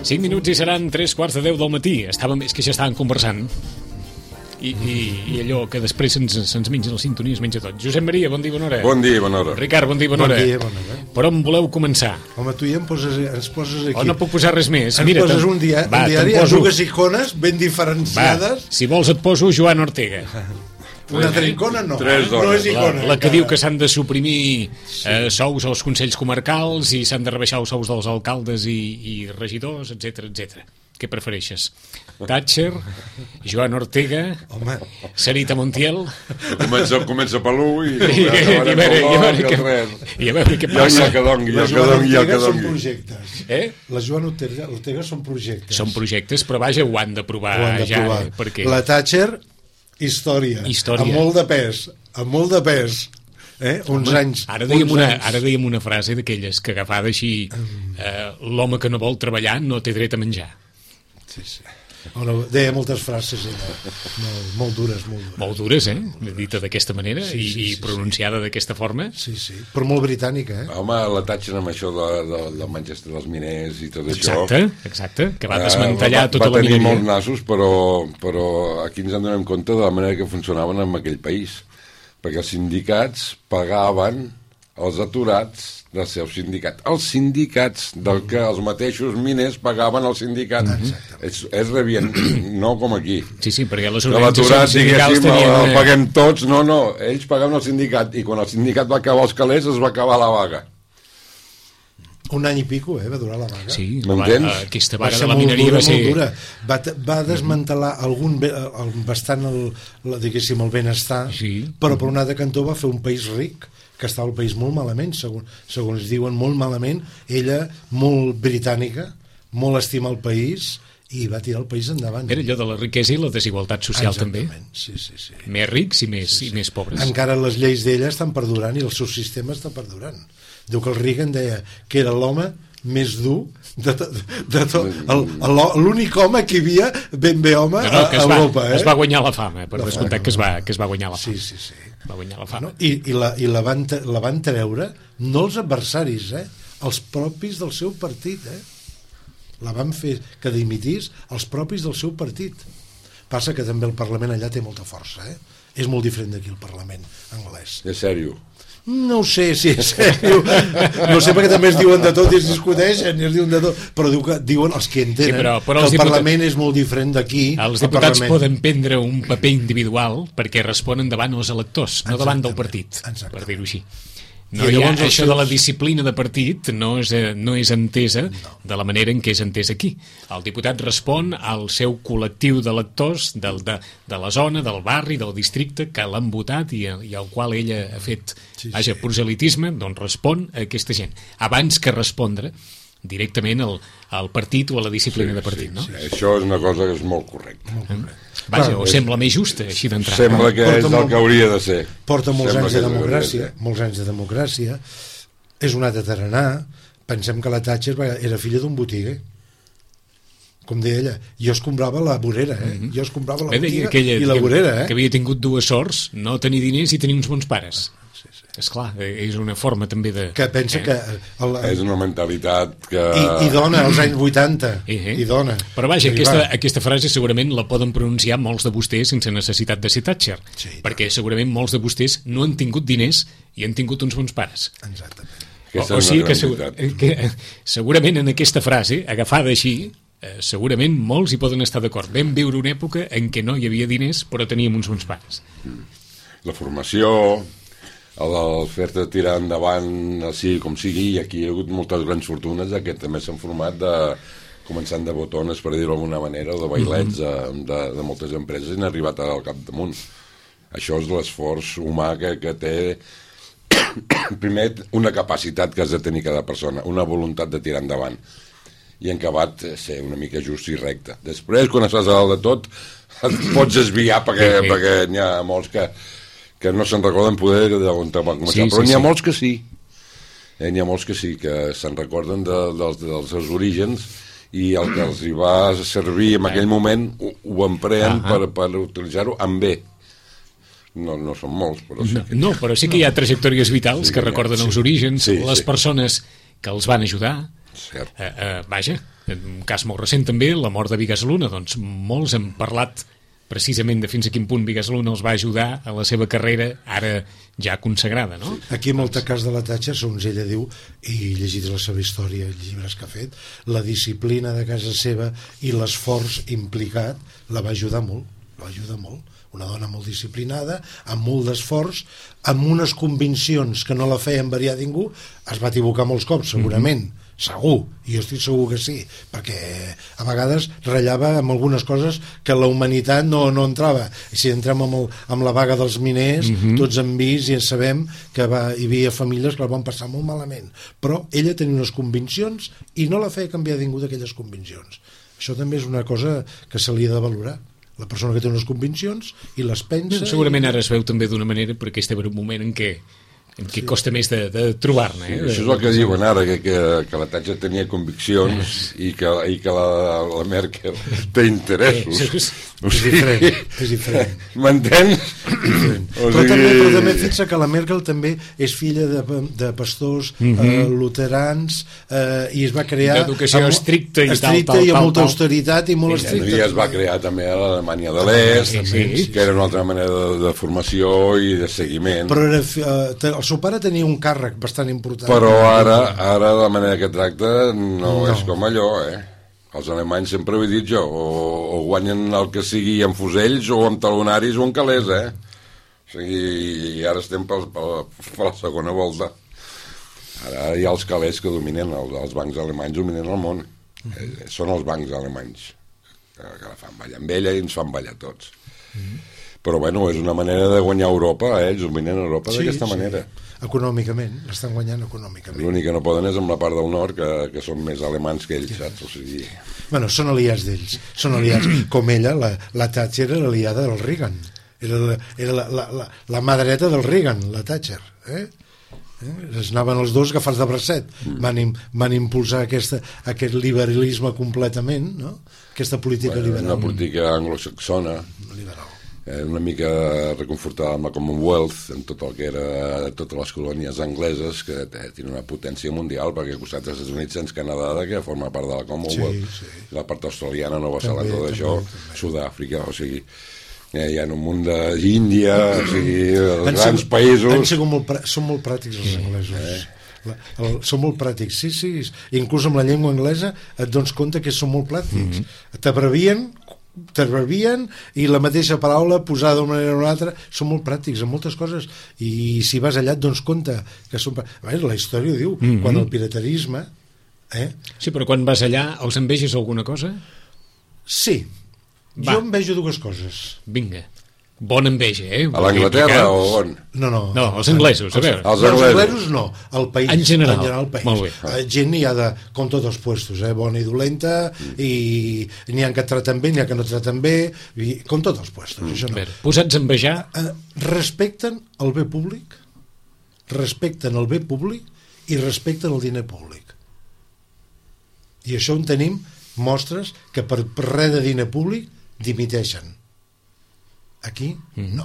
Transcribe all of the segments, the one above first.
5 minuts i seran 3:15 del matí. És que ja estàvem conversant. I allò que després se'ns menja la sintonia, es menja tot. Josep Maria, bon dia, bona hora. Bon dia, bona hora. Ricard, bon dia, bona hora. Bon dia, bona hora. Per on voleu començar? Home, tu ja ens poses aquí. O no puc posar res més? Ens poses un diari amb dues icones ben diferenciades. Si vols et poso Joan Ortega. Una altra icona no, no és icona. La que diu que s'han de suprimir sous als consells comarcals i s'han de rebaixar els sous dels alcaldes i regidors, etc etc. Què prefereixes? Thatcher, Joan Ortega, Sarita Montiel? Comença per l'1 i a veure què passa. I el que dongui. Són projectes. La Joan Ortega són projectes. Són projectes, però vaja, ho han d'aprovar ja. Perquè... La Thatcher, història. Amb molt de pes. Uns anys. Ara dèiem una frase d'aquelles que agafada així, l'home que no vol treballar no té dret a menjar. Sí. Deia moltes frases molt dures. Molt dures, dita d'aquesta manera i pronunciada d'aquesta forma. Sí, però molt britànica. Home, la Thatcher amb això del Manchester dels miners i tot això. Exacte, que va desmantellar tota la mineria. Va tenir molts nassos, però aquí ens en donem compte de la manera que funcionaven en aquell país, perquè els sindicats pagaven els aturats del seu sindicat. Els sindicats del que els mateixos miners pagaven al sindicat. Es rebien, no com aquí. Sí, perquè les organitzacions sindicals tenien... El paguem tots, no, ells pagaven al sindicat, i quan el sindicat va acabar els calés es va acabar la vaga. Un any i pico, va durar la vaga. Sí, aquesta vaga de la mineria va ser... Va desmantelar bastant el benestar, però per un altre cantó va fer un país ric, que estava el país molt malament, segons diuen, molt malament. Ella, molt britànica, molt estima el país, i va tirar el país endavant. Era allò de la riquesa i la desigualtat social. Exactament. També. Sí. Més rics i més pobres. Encara les lleis d'ella estan perdurant i el seu sistema està perdurant. Diu que el Reagan deia que era l'home més dur de tot, l'únic home que hi havia ben bé home a Europa. Es va guanyar la fama, per descomptat que es va guanyar la fama. Sí. Va guanyar la fama. I la van treure no els adversaris, els propis del seu partit. La van fer que dimitís els propis del seu partit. Passa que també el Parlament allà té molta força. És molt diferent d'aquí el Parlament anglès. És sèrio? No ho sé si és sèrio, no sé, perquè també es diuen de tot i es discuteixen i es diuen de tot, però diuen els que entenen que el Parlament és molt diferent d'aquí. Els diputats poden prendre un paper individual perquè responen davant els electors, no davant del partit, per dir-ho així. Això de la disciplina de partit no és entesa de la manera en què és entesa aquí. El diputat respon al seu col·lectiu d'electors de la zona, del barri, del districte que l'han votat i al qual ella ha fet proselitisme, doncs respon a aquesta gent abans que respondre directament al partit o a la disciplina de partit, no? Sí, això és una cosa que és molt correcta. Vaja, o sembla més justa, així d'entrada. Sembla que és el que hauria de ser. Porta molts anys de democràcia, és un altre tarannà. Pensem que la Thatcher era filla d'un botiguer, com deia ella. Jo es comprava la vorera, jo es comprava la botiga i la vorera. Que havia tingut dues sorts, no tenir diners i tenir uns bons pares. Esclar, és una forma també de... Que pensa que... És una mentalitat que... I dona, als anys 80. I dona. Però vaja, aquesta frase segurament la poden pronunciar molts de vostès sense necessitat de ser Thatcher. Perquè segurament molts de vostès no han tingut diners i han tingut uns bons pares. Exactament. O sigui que segurament en aquesta frase, agafada així, segurament molts hi poden estar d'acord. Vam viure una època en què no hi havia diners però teníem uns bons pares. La formació... el fer-te tirar endavant així com sigui, i aquí hi ha hagut moltes grans fortunes que també s'han format començant de botones, per dir-ho d'alguna manera, o de bailets de moltes empreses i han arribat al capdamunt. Això és l'esforç humà que té primer una capacitat que has de tenir cada persona, una voluntat de tirar endavant, i en acabat ser una mica just i recte. Després, quan estàs a dalt de tot, et pots desviar perquè n'hi ha molts que no se'n recorden poder d'on va començar, però n'hi ha molts que sí. N'hi ha molts que sí, que se'n recorden dels seus orígens i el que els hi va servir en aquell moment ho empreen per utilitzar-ho amb bé. No són molts, però sí que... No, però sí que hi ha trajectòries vitals que recorden els orígens, les persones que els van ajudar. Cert. Vaja, Un cas molt recent també, la mort de Bigas Luna. Doncs molts hem parlat precisament de fins a quin punt Bigas Luna els va ajudar a la seva carrera, ara ja consagrada, no? Aquí, en el cas de la Thatcher, segons ella diu, i llegit la seva història, els llibres que ha fet, la disciplina de casa seva i l'esforç implicat la va ajudar molt, una dona molt disciplinada, amb molt d'esforç, amb unes conviccions que no la feien variar ningú. Es va equivocar molts cops, segurament, segur, i jo estic segur que sí, perquè a vegades ratllava amb algunes coses que la humanitat no entrava. I si entrem amb la vaga dels miners, tots hem vist i sabem que hi havia famílies que la van passar molt malament, però ella tenia unes conviccions i no la feia canviar ningú d'aquelles conviccions. Això també és una cosa que se li ha de valorar, la persona que té unes conviccions i les pensa. Segurament ara es veu també d'una manera perquè estem en un moment en què costa més de trobar-ne. Això és el que diuen ara, que la Thatcher tenia conviccions i que la Merkel té interessos. És diferent. M'entens? Però també fixa que la Merkel també és filla de pastors luterans i es va crear d'educació estricta i amb molta austeritat i molt estricta. I es va crear també a l'Alemanya de l'Est, que era una altra manera de formació i de seguiment. Però el seu pare tenia un càrrec bastant important. Però ara la manera que tracta no és com allò, Els alemanys, sempre ho he dit jo, o guanyen el que sigui amb fusells o amb talonaris o amb calés, O sigui, i ara estem per la segona volta. Ara hi ha els calés que dominen, els bancs alemanys dominen el món. Són els bancs alemanys que la fan ballar amb ella i ens fan ballar tots. Però bueno, és una manera de guanyar Europa, ells dominen Europa d'aquesta manera. Econòmicament, l'estan guanyant econòmicament. L'únic que no poden és amb la part del nord, que són més alemans que ells, saps? O sigui... Bueno, són aliats d'ells, són aliats. Com ella, la Thatcher era aliada del Reagan. Era la mà dreta del Reagan, la Thatcher. Es anaven els dos agafats de bracet. Van impulsar aquest liberalisme completament, no? Aquesta política liberal. Una política anglosaxona. Liberal. Una mica reconfortada amb la Commonwealth, en tot el que era totes les colònies angleses, que tenen una potència mundial, perquè al costat dels Estats Units tens Canadà, que forma part de la Commonwealth, la part australiana, Nova Zelanda, tot això, Sud-àfrica, o sigui, hi ha un munt d'Índia, o sigui, els grans països... Són molt pràctics els anglesos. Són molt pràctics, sí. Inclús amb la llengua anglesa et dones compte que són molt pràctics. T'abrevien i la mateixa paraula posada d'una manera o una altra, són molt pràctics en moltes coses, i si vas allà et dones compte que són... La història diu, quan el piraterisme... Sí, però quan vas allà els enveges alguna cosa? Sí, jo envejo dues coses. Vinga. Bona enveja, A l'Anglaterra o on? No, els anglesos, a veure. Els anglesos no, el país. En general el país. Molt bé. Gent n'hi ha com tots els puestos, bona i dolenta, i n'hi ha que traten bé, n'hi ha que no traten bé, com tots els puestos, això no. Posats a envejar... Respecten el bé públic, i respecten el diner públic. I això on tenim mostres que per res de diner públic dimiteixen. Aquí, no.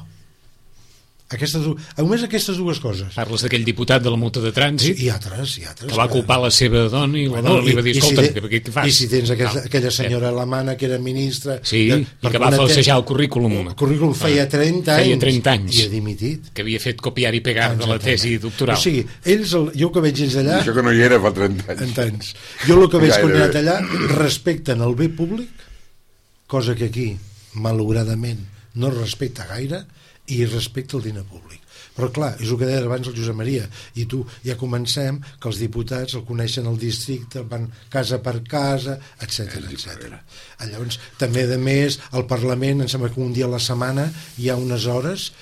Només aquestes dues coses. Parles d'aquell diputat de la multa de trànsit i altres que va culpar la seva dona i la dona li va dir, escolta, què fas? I si tens aquella senyora alemana que era ministra i que va falsejar el currículum. El currículum feia 30 anys i ha dimitit, que havia fet copiar i pegar de la tesi doctoral. O sigui, jo que veig ells allà, això que no hi era fa 30 anys. Jo el que veig quan he anat allà, respecten el bé públic, cosa que aquí malauradament no respecta gaire, i respecta el diner públic. Però clar, és el que deia abans el Josep Maria, i tu ja comencem que els diputats el coneixen al districte, van casa per casa, etc. Llavors, també a més, al Parlament, em sembla que un dia a la setmana hi ha unes hores,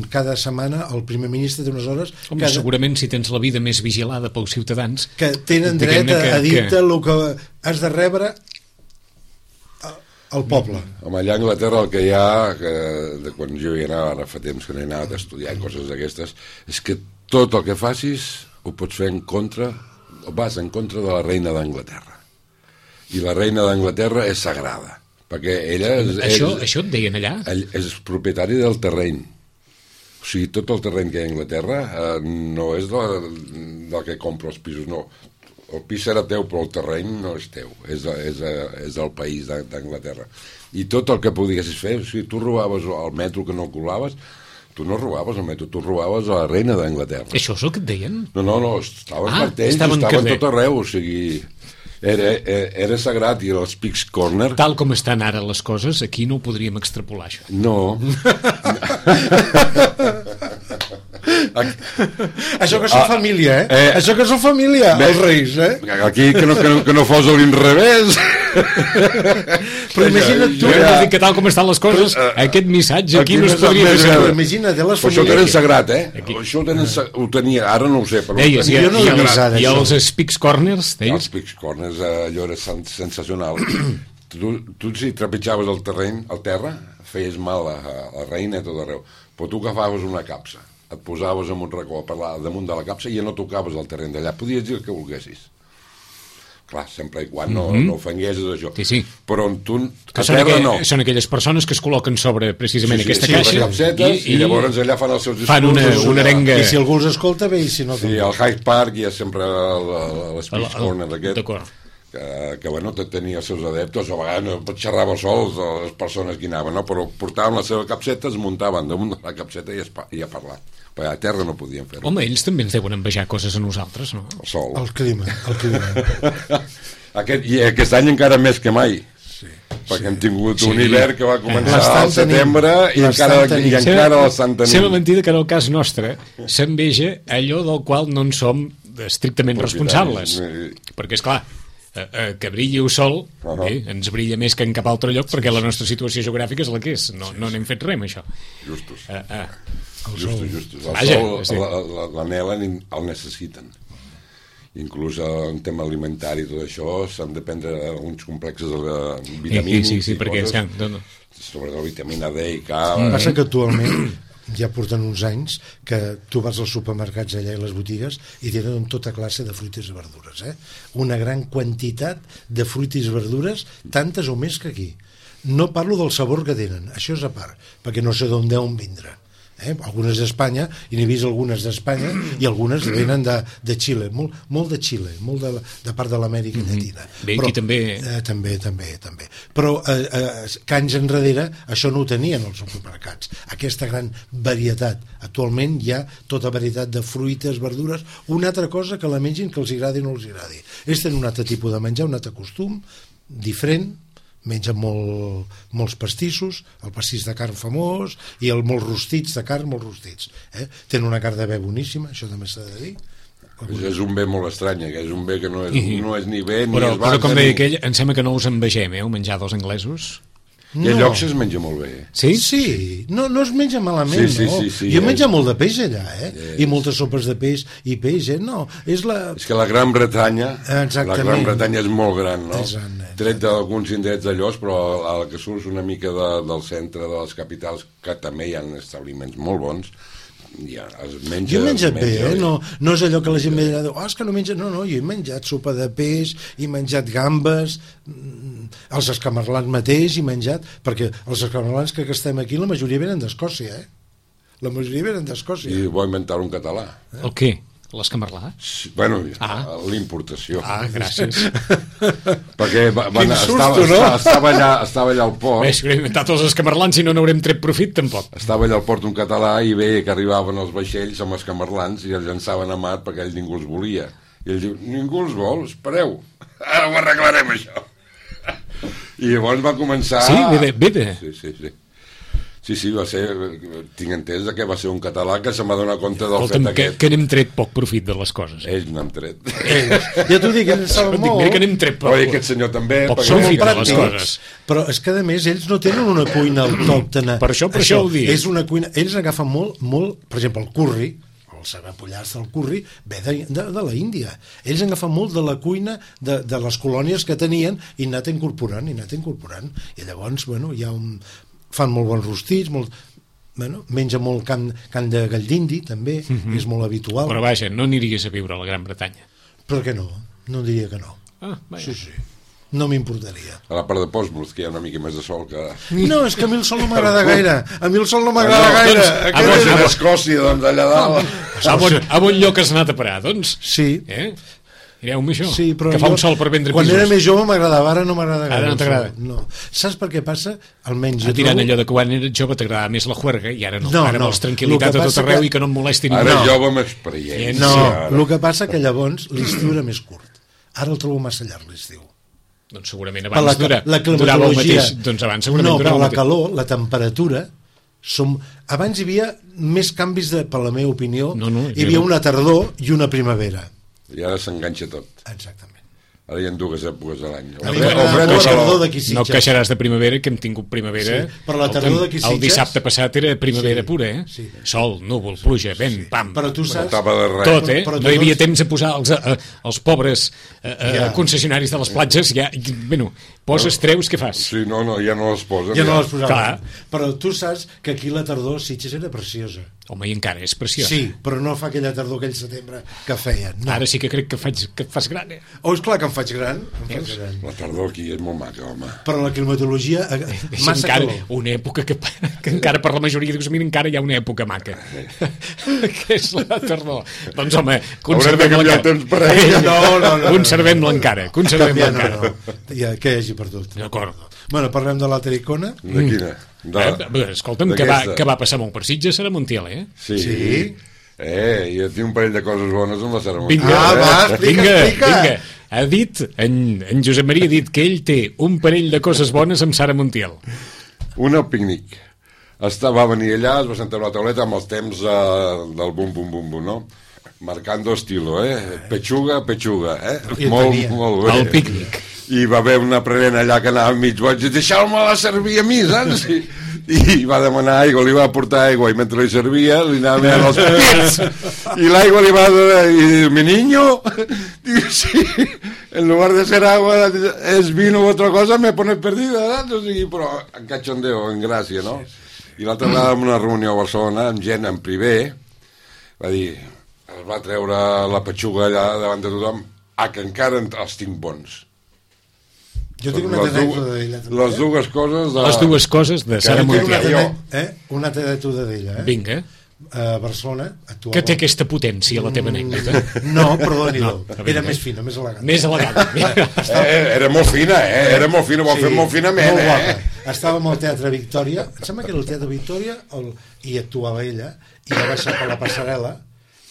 cada setmana el primer ministre té unes hores... Segurament si tens la vida més vigilada pels ciutadans... Que tenen dret a dir-te el que has de rebre al poble. Allà a Anglaterra el que hi ha, de quan jo hi anava, ara fa temps que no he anat estudiant coses d'aquestes, és que tot el que facis ho pots fer en contra, o vas en contra de la reina d'Anglaterra. I la reina d'Anglaterra és sagrada, perquè ella... Això et deien allà? És propietari del terreny. O sigui, tot el terreny que hi ha a Anglaterra no és del que compra els pisos, no. el pis serà teu, però el terreny no és teu, és del país d'Anglaterra. I tot el que podiguessis fer, si tu robaves el metro que no colaves, tu no robaves el metro, tu robaves a la reina d'Anglaterra. Això és el que et deien? No, estaven cartells, estaven tot arreu, o sigui... Era sagrat, i els Pigs Corner... Tal com estan ara les coses, aquí no ho podríem extrapolar, això. No. Això que són família, Això que són família, els reis, Aquí que no fos a l'inrevés. Però imagina't tu... Que tal com estan les coses, aquest missatge aquí no es podria fer. Imagina't, les famílies... Això ho tenen sagrat, Això ho tenia, ara no ho sé, però... Deies, i els Pigs Corners, deies? Els Pigs Corners, allò era sensacional. Tu si trepitjaves el terra, feies mal a la reina a tot arreu, però tu agafaves una capsa, et posaves en un racó damunt de la capsa i ja no tocaves el terreny d'allà, podies dir el que volguessis. Clar, sempre i quan no ofenguessis això. Sí. Però tu, a terra no. Són aquelles persones que es col·loquen sobre precisament aquesta caixa i llavors allà fan els seus discursos. Fan una arenga... I si algú els escolta, bé, i si no... Sí, al Hyde Park hi ha sempre l'Speech Corner aquest. D'acord. Que bueno, tenia els seus adeptes, a vegades xerrava sols les persones que hi anaven, no? Però portaven la seva capseta, es muntaven damunt de la capseta i a parlar. Perquè a terra no podien fer-ho. Home, ells també ens deuen envejar coses a nosaltres, no? El sol. El clima. I aquest any encara més que mai. Sí. Perquè hem tingut un hivern que va començar al setembre i encara l'estan tenint. Sembla mentida que en el cas nostre s'enveja allò del qual no en som estrictament responsables. Perquè, esclar, que brilli el sol ens brilla més que en cap altre lloc perquè la nostra situació geogràfica és la que és, no n'hem fet res amb això. Justos. El sol l'anhelen, el necessiten. Inclús en tema alimentari i tot això s'han de prendre uns complexes vitamínics sí, perquè sobre la vitamina D i K. Passa que actualment ja porten uns anys que tu vas als supermercats allà i les botigues i tenen tota classe de fruites i verdures, una gran quantitat de fruites i verdures, tantes o més que aquí. No parlo del sabor que tenen, això és a part, perquè no sé d'on deuen vindre. Algunes d'Espanya, i n'he vist algunes d'Espanya i algunes venen de Xile, molt de Xile, molt de part de l'Amèrica Llatina. Bé, aquí també. També. Però que anys enrere això no ho tenien els supermercats, aquesta gran varietat. Actualment hi ha tota varietat de fruites, verdures, una altra cosa que la mengin que els agradi o no els agradi. Ells tenen un altre tipus de menjar, un altre costum diferent, mengen molts pastissos, el pastís de carn famós i molts rostits de carn, molts rostits. Tenen una carn de bé boníssima, això també s'ha de dir. És un bé molt estrany, que és un bé que no és ni bé ni però, es va... Però com deia aquell, em sembla que no us envegem, el menjar dels anglesos. I a llocs es menja molt bé. Sí? Sí, no es menja malament, no? Jo menja molt de peix allà, i moltes sopes de peix i peix, no? És que la Gran Bretanya, és molt gran, no? Tret d'alguns indrets d'allòs, però al que surts una mica del centre de les capitals, que també hi ha establiments molt bons, ja, jo he menjat bé, no és allò que la gent diu, és que no menja, no, jo he menjat sopa de peix, he menjat gambes, els escamarlans mateix he menjat, perquè els escamarlans que estem aquí la majoria venen d'Escòcia, la majoria venen d'Escòcia. I vull inventar un català. El què? L'escamarlà? Bueno, l'importació. Gràcies. Perquè estava allà al port. Bé, si haurem inventat els escamarlans, si no n'haurem tret profit, tampoc. Estava allà al port un català i veia que arribaven els vaixells amb escamarlans i els llançaven a mar perquè ell ningú els volia. I ell diu, ningú els vol, espereu, ara ho arreglarem això. I llavors va començar... Sí, bé. Sí, va ser, tinc entès que va ser un català que se m'ha donat compte del fet aquest. Que n'hem tret poc profit de les coses. Ells n'han tret. Ja t'ho dic, ells saben molt. Mira que n'hem tret poc. Però aquest senyor també. Poc profit de les coses. Però és que a més ells no tenen una cuina autòctona. Per això ho dic. És una cuina, ells agafen molt, per exemple, el curri, el saber pollar-se del curri, ve de la Índia. Ells han agafat molt de la cuina de les colònies que tenien i han anat incorporant. I llavors, hi ha fan molt bons rostits, menja molt carn de gall d'indi, també, és molt habitual. Però vaja, no aniries a viure a la Gran Bretanya. Per què no? No diria que no. Sí. No m'importaria. A la part de Portsmouth, que hi ha una mica més de sol que... No, és que a mi el sol no m'agrada gaire. Gaire. A Escòcia, doncs, allà dalt. A bon lloc has anat a parar, doncs. Sí. Mireu-me això, sí, que fa un sol per vendre quan pisos. Quan era més jove m'agradava, ara no m'agrada gaire. Ara no t'agrada? No. Saps per què passa? Almenys jo tirant trobo... allò de que quan eres jove t'agradava més la juerga i ara no. Ara vols tranquil·litat a tot arreu i que no et molesti ningú. Ara jove amb experiència. No, el que passa que llavors l'estiu era més curt. Ara el trobo massa llarg l'estiu. Doncs segurament abans durava el mateix. Doncs abans segurament durava el mateix. No, però la calor, la temperatura... Abans hi havia més canvis per la meva opinió. Hi havia una tardor i una primavera. I ara s'enganxa tot. Exactament. Ara hi ha dues èpoques a l'any. No queixaràs de primavera, que hem tingut primavera. Sí, però la tardor d'aquí Sitges... El dissabte passat era primavera pura, eh? Sí. Sol, núvol, pluja, vent, pam. Però tu saps... Tot, eh? No hi havia temps a posar els pobres concessionaris de les platges. Bueno, poses, treus, què fas? Sí, no, ja no les posen. Ja no les posaven. Però tu saps que aquí la tardor Sitges era preciosa. Home, i encara és preciosa. Sí, però no fa aquella tardor, aquell setembre que feien. Ara sí que crec que et fas gran, eh? Oh, és clar que em faig gran. La tardor aquí és molt maca, home. Però la climatologia... Massa calor. Una època que encara per la majoria dius, mira, encara hi ha una època maca. Que és la tardor. Doncs, home, conservem-la encara. No. Conservem-la encara. Conservem-la encara. Que hi hagi per tot. D'acord. Bueno, parlem de l'altra icona. De quina? Escolta'm, que va passar molt per Sitges, Sara Montiel, eh? Sí. Jo tinc un parell de coses bones amb la Sara Montiel. Vinga. Ha dit, en Josep Maria ha dit que ell té un parell de coses bones amb Sara Montiel. Una al pícnic. Va venir allà, es va sentar a la tauleta amb els temps del bum, no? Marcando estilo, Pechuga, molt bé. El pícnic. I va haver una prenent allà que anava mig boig i deixeu-me-la servir a mi, saps? I va demanar aigua, li va portar aigua i mentre li servia li anava mirant els pits i l'aigua li va donar i diu, mi niño, diu, sí, en lugar de ser agua es vino o otra cosa, me pones perdida, saps? O sigui, però en cachondeo, en gràcia, no? I l'altra vegada en una reunió a Barcelona amb gent en privé va dir, es va treure la petxuga allà davant de tothom, que encara els tinc bons. Jo tinc una anècdota d'ella. Les dues coses de... Les dues coses de Sara Montiel. Una anècdota d'ella. Vinga. A Barcelona actuava... Que té aquesta potència, la teva anècdota. No, perdoni-ho. Era més fina, més elegant. Més elegant. Era molt fina, Era molt fina, ho va fer molt finament, Molt guapa. Estàvem al Teatre Victòria, em sembla que era el Teatre Victòria, i actuava ella, i va baixar per la passarel·la,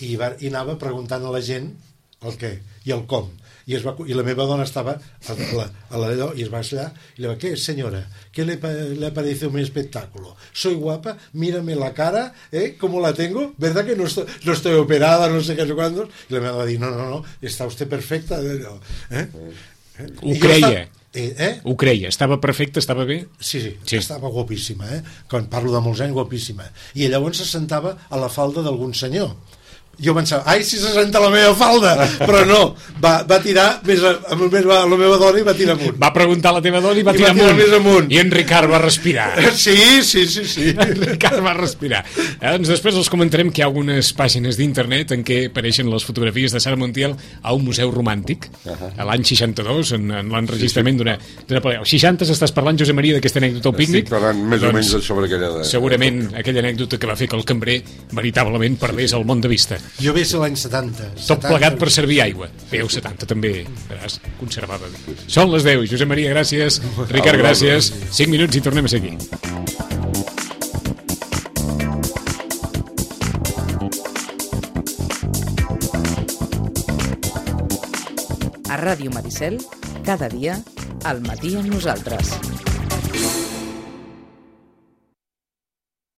i anava preguntant a la gent el què i el com. I la meva dona estava a l'allò i es va allà y le va, ¿qué señora? ¿Qué le parece mi espectáculo? Soy guapa, mírame la cara, ¿cómo la tengo? ¿Verdad que no estoy operada, no sé qué, no sé cuántos? Y la meva va dir, no, está usted perfecta. Ho creia. Ho creia, estava perfecta, estava bé? Sí, estava guapíssima, quan parlo de molts anys, guapíssima. I llavors se sentava a la falda d'algun senyor. Jo pensava, ai, si se senta la meva falda, però no, va tirar amb la meva dona i va tirar amunt. Va preguntar a la teva dona i va tirar més amunt. I en Ricard va respirar. Sí. En Ricard va respirar. Doncs després els comentarem que hi ha algunes pàgines d'internet en què apareixen les fotografies de Sara Montiel a un museu romàntic, a l'any 62, en l'enregistrament d'una pel·lícula. Al 60 estàs parlant, Josep Maria, d'aquesta anècdota al pícnic? Estic parlant més o menys sobre aquella... Segurament aquella anècdota que va fer que el cambrer veritablement perdés el món de vista. Jo ve ser l'any 70. Tot plegat per servir aigua. Bé, 70 també, veràs, conservava bé. Són les 10. Josep Maria, gràcies. Ricard, gràcies. 5 minuts i tornem a seguir. A Ràdio Maricel, cada dia, al matí amb nosaltres.